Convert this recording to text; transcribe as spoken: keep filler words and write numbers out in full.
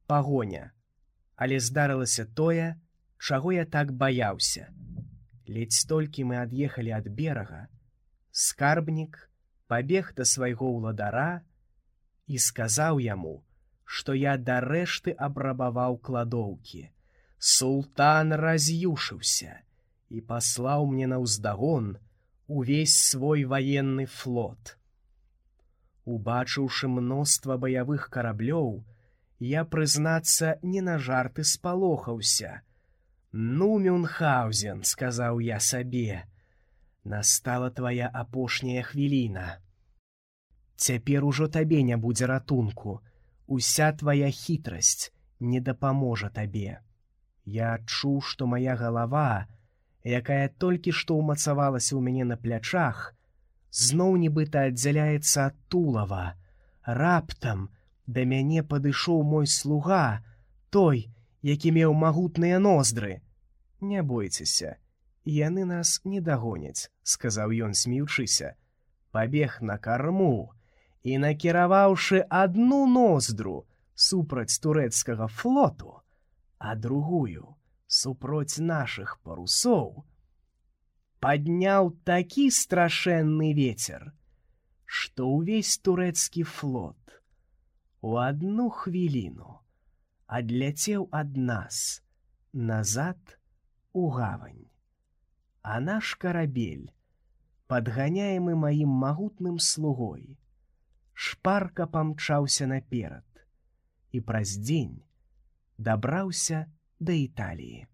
пагоня. Але здарылася тое, чаго я так баяўся. Ледзь толькі мы ад'ехалі ад берага, скарбнік пабег да свайго ўладара і сказаў яму, што я дарэшты абрабаваў кладоўкі. Султан раз'юшыўся і паслаў мне наўздагон увесь свой ваенны флот. Убачыўшы мноства баявых караблёў, я, прызнацца, не на жарты спалохаўся. «Ну, Мюнхгаузен», — сказаў я сабе, — «настала твая апошняя хвіліна. Цяпер ужо табе не будзе ратунку, уся твая хітрасць не дапаможа табе». Я адчуў, што мая галава, якая толькі што ўмацавалася ў мяне на плячах, зноў нібыта аддзяляецца ад тулава. Раптам да мяне падышоў мой слуга, той, які меў магутныя ноздры. «Не бойцеся, яны нас не дагоняць», — сказаў ён, смеючыся. Пабег на карму і, накіраваўшы адну ноздру супраць турэцкага флоту, а другую супроць нашых парусоў, падняў такі страшэнны вецер, што ўвесь турэцкі флот у адну хвіліну адляцеў ад нас назад у гавань. А наш карабель, падганяемы маім магутным слугой, шпарка памчаўся наперад і праз дзень дабраўся да Італіі.